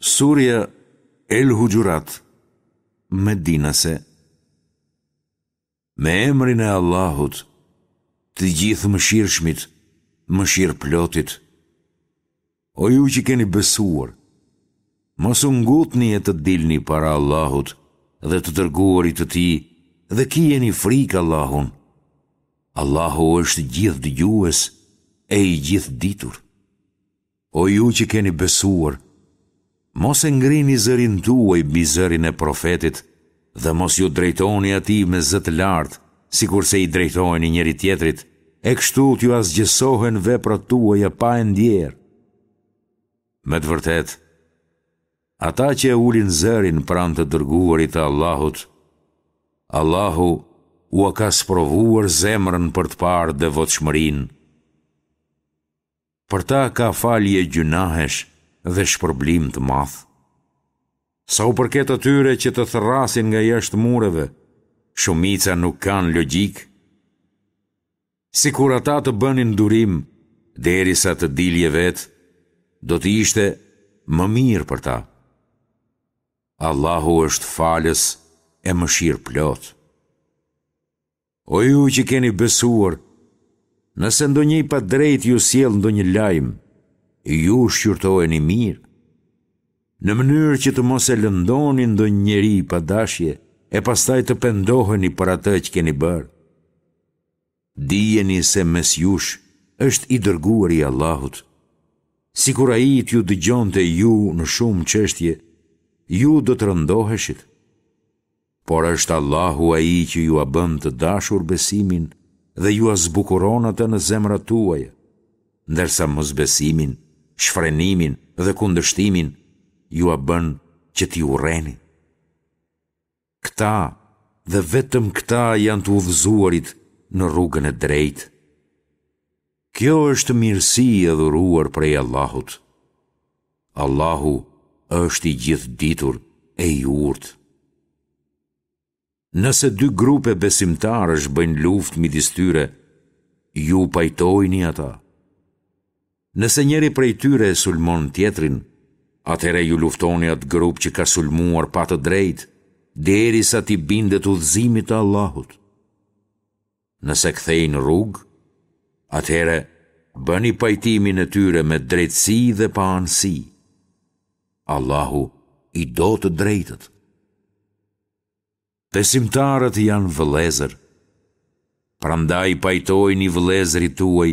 Surja El Huxhurat, Medinase Me emrin e Allahut, të Gjithëmëshirshmit, Mëshirëplotit. O ju që keni besuar, mos u ngutni e të dilni para Allahut dhe të dërguarit të Tij dhe kijeni frikë Allahun. Allahu është Gjithëdëgjues e i Gjithëditur. O ju që keni besuar, mos e ngrini zërin tuaj mbi zërin e Profetit dhe mos iu drejtoni atij me zë të lartë, sikurse i drejtoheni njëri-tjetrit, e kështu t'ju asgjësohen veprat tuaja pa e ndjerë. Me të vërtetë, ata që e ulin zërin pranë të dërguarit të Allahut, Allahu ua ka sprovuar zemrën për të parë devotshmërinë. Për ta ka falje gjynahesh dhe shpërblim të madh. Sa u përket atyre që të thërrasin nga jashtë mureve, shumica nuk kanë logjikë. Sikur ata të bënin durim derisa të dilje vetë, do të ishte më mirë për ta. Allahu është falës e mëshirëplotë. O ju që keni besuar, nëse ndonjë i padrejtë ju sjell ndonjë lajm, ju shqyrtojeni mirë, në mënyrë që të mos e lëndoni ndonjë njeri pa dashje e pastaj të pendoheni për atë që keni bërë. Dijeni se mes jush është i dërguari i Allahut. Sikur ai t'ju dëgjonte ju në shumë çështje, ju do të rëndoheshit. Por është Allahu ai që jua bën të dashur besimin dhe jua zbukuron atë në zemrat tuaja, ndërsa mosbesimin, shfrenimin dhe kundërshtimin jua bën që t'i urreni. Këta dhe vetëm këta janë të udhëzuarit në rrugën e drejtë. Kjo është mirësi e dhuruar prej Allahut. Allahu është i gjithëditur e i urtë. Nëse dy grupe besimtarësh bëjnë luftë midis tyre, ju pajtojini ata. Nëse njëri prej tyre e sulmon tjetrin, atëherë ju luftoni atë grup që ka sulmuar pa të drejtë, derisa t'i bindet udhëzimit të Allahut. Nëse kthejnë rrugë, atëherë bëni pajtimin e tyre me drejtësi dhe paanësi. Allahu i do të drejtët. Besimtarët janë vëllezër. Prandaj pajtojini vëllezërit tuaj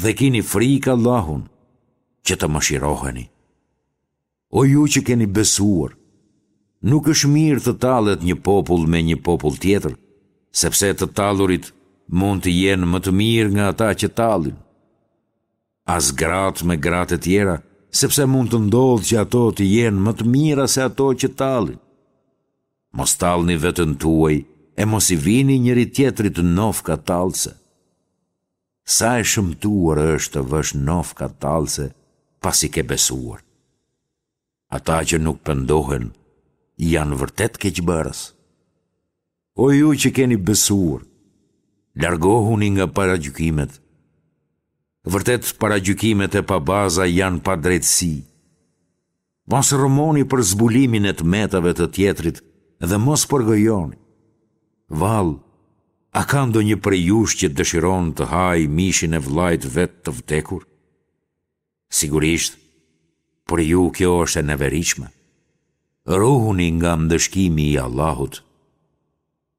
dhe kini frikë Allahun, që të mëshiroheni. O ju që keni besuar, nuk është mirë të tallet një popull me një popull tjetër, sepse të tallurit mund të jenë më të mirë nga ata që tallin. As gratë me gratë e tjera, sepse mund të ndodhë që ato të jenë më të mira se ato që tallin. Mos tallni veten tuaj e mos i vini njëri-tjetrit nofka tallëse. Sa e shëmtuar është të vësh nofka tallëse pasi ke besuar. Ata që nuk pendohen janë vërtet keqbërës. O ju që keni besuar, largohuni nga paragjykimet. Vërtet paragjykimet e pabaza janë padrejtësi. Mos rrëmoni për zbulimin e të metave të tjetrit dhe mos përgojoni. Vallë, a ka ndonjë prej jush që dëshiron të hajë mishin e vëllait të vet të vdekur? Sigurisht, për ju kjo është e neveritshme. Ruhuni nga ndëshkimi i Allahut.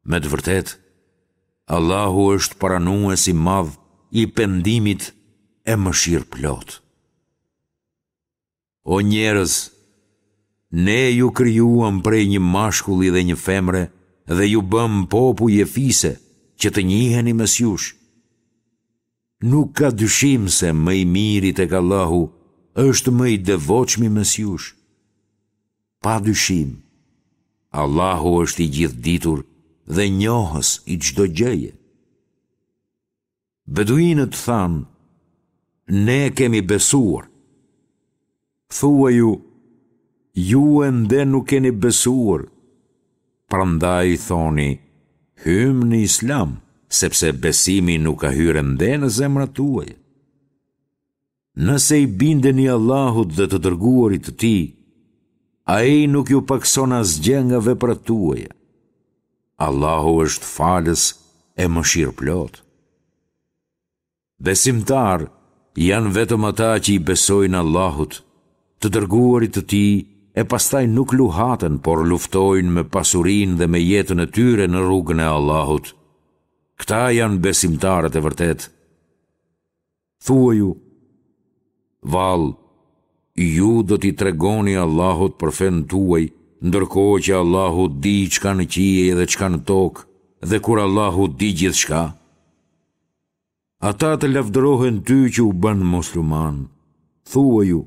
Me të vërtetë, Allahu është pranues i madh i pendimit e mëshirëplotë. O njerëz, Ne ju krijuam prej një mashkulli dhe një femre dhe ju bëmë popuj e fise që të njiheni mes jush. Nuk ka dyshim se më i miri tek Allahu është më i devotshmi mes jush. Pa dyshim, Allahu është i gjithëditur dhe njohës i çdo gjëje. Beduinët thanë, Ne kemi besuar. Thuaju, Ju ende nuk keni besuar. Prandaj thoni, Hymë në Islam, sepse besimi nuk ka hyrë ende në zemrat tuaja. Nëse i bindeni Allahut dhe të dërguarit të Tij, Ai nuk ju pakëson asgjë nga veprat tuaja. Allahu është falës e mëshirëplotë. Besimtarë janë vetëm ata që i besojnë Allahut, të dërguarit të Tij e pastaj nuk luhaten, por luftojnë me pasurinë dhe me jetën e tyre në rrugën e Allahut. Këta janë besimtarët e vërtetë. Thuaju, vallë, ju do t'i tregoni Allahut për fenë tuaj, ndërkohë që Allahu di ç'ka në qiej dhe ç'ka në tokë, dhe kur Allahu di gjithçka? Ata të lavdërohen ty që u bënë muslimanë. Thuaju,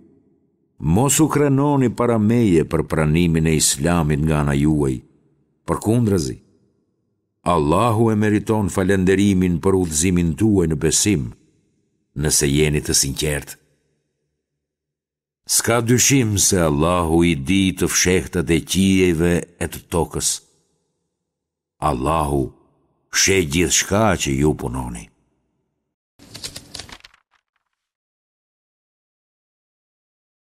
mos u krenoni para meje për pranimin e Islamit nga ana juaj. Përkundrazi, Allahu e meriton falënderimin për udhëzimin tuaj në besim, nëse jeni të sinqertë. S'ka dyshim se Allahu i di të fshehtat e qiejve e të tokës. Allahu sheh gjithçka që ju punoni.